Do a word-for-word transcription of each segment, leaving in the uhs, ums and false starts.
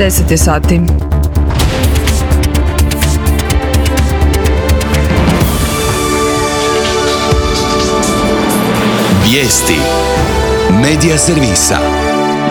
deset je sati. Vijesti Medija servisa.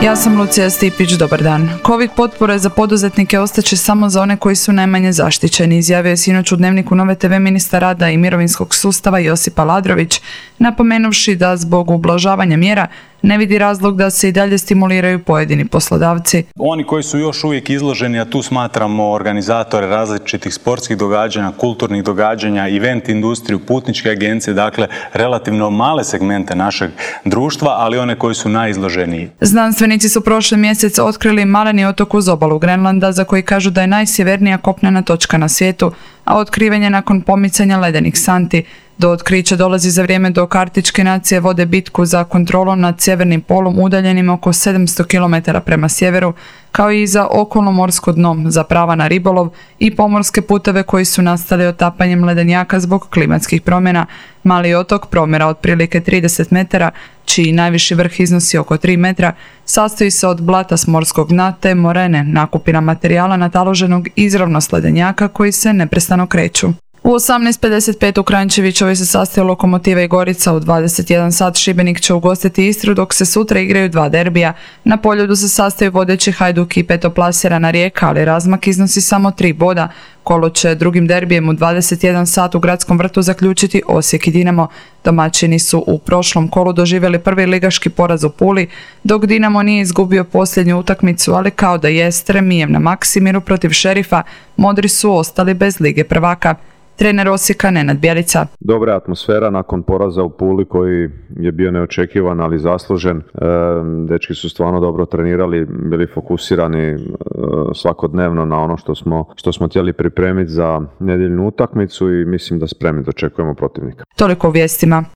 Ja sam Lucija Stipić, dobar dan. Covid potpore za poduzetnike ostaće samo za one koji su najmanje zaštićeni, izjavio je sinoć u Dnevniku Nove te ve ministar rada i mirovinskog sustava Josip Aladrović, napomenuvši da zbog ublažavanja mjera ne vidi razlog da se i dalje stimuliraju pojedini poslodavci. Oni koji su još uvijek izloženi, a tu smatramo organizatore različitih sportskih događanja, kulturnih događanja, event industriju, putničke agencije, dakle relativno male segmente našeg društva, ali one koji su najizloženiji. Znanstvenici su prošli mjesec otkrili maleni otok uz obalu Grenlanda za koji kažu da je najsjevernija kopnena točka na svijetu, a otkriven nakon pomicanja ledenih santi. Do otkrića dolazi za vrijeme dok arktičke nacije vode bitku za kontrolom nad sjevernim polom udaljenim oko sedamsto kilometara prema sjeveru, kao i za okolno morsko dno, za prava na ribolov i pomorske puteve koji su nastali otapanjem ledenjaka zbog klimatskih promjena. Mali otok promjera otprilike trideset metara, čiji najviši vrh iznosi oko tri metra, sastoji se od blata s morskog dna te morene, nakupina materijala nataloženog izravno s ledenjaka koji se neprestano kreću. U osamnaest pedeset pet u Kranjčevićevoj se sastoji Lokomotiva i Gorica, u dvadeset jedan sat Šibenik će ugostiti Istru, dok se sutra igraju dva derbija. Na Poljudu se sastoji vodeći Hajduk i petoplasirana Rijeka, ali razmak iznosi samo tri boda. Kolo će drugim derbijem u dvadeset jedan sat u Gradskom vrtu zaključiti Osijek i Dinamo. Domaćini su u prošlom kolu doživjeli prvi ligaški poraz u Puli, dok Dinamo nije izgubio posljednju utakmicu, ali kao da jest remijem na Maksimiru protiv Šerifa, modri su ostali bez Lige prvaka. Trener Osijeka Nenad Bjelica. Dobra atmosfera nakon poraza u Puli koji je bio neočekivan, ali zaslužen. E, dečki su stvarno dobro trenirali, bili fokusirani e, svakodnevno na ono što smo, što smo htjeli pripremiti za nedjeljnu utakmicu i mislim da spremni dočekujemo protivnika. Toliko u vijestima.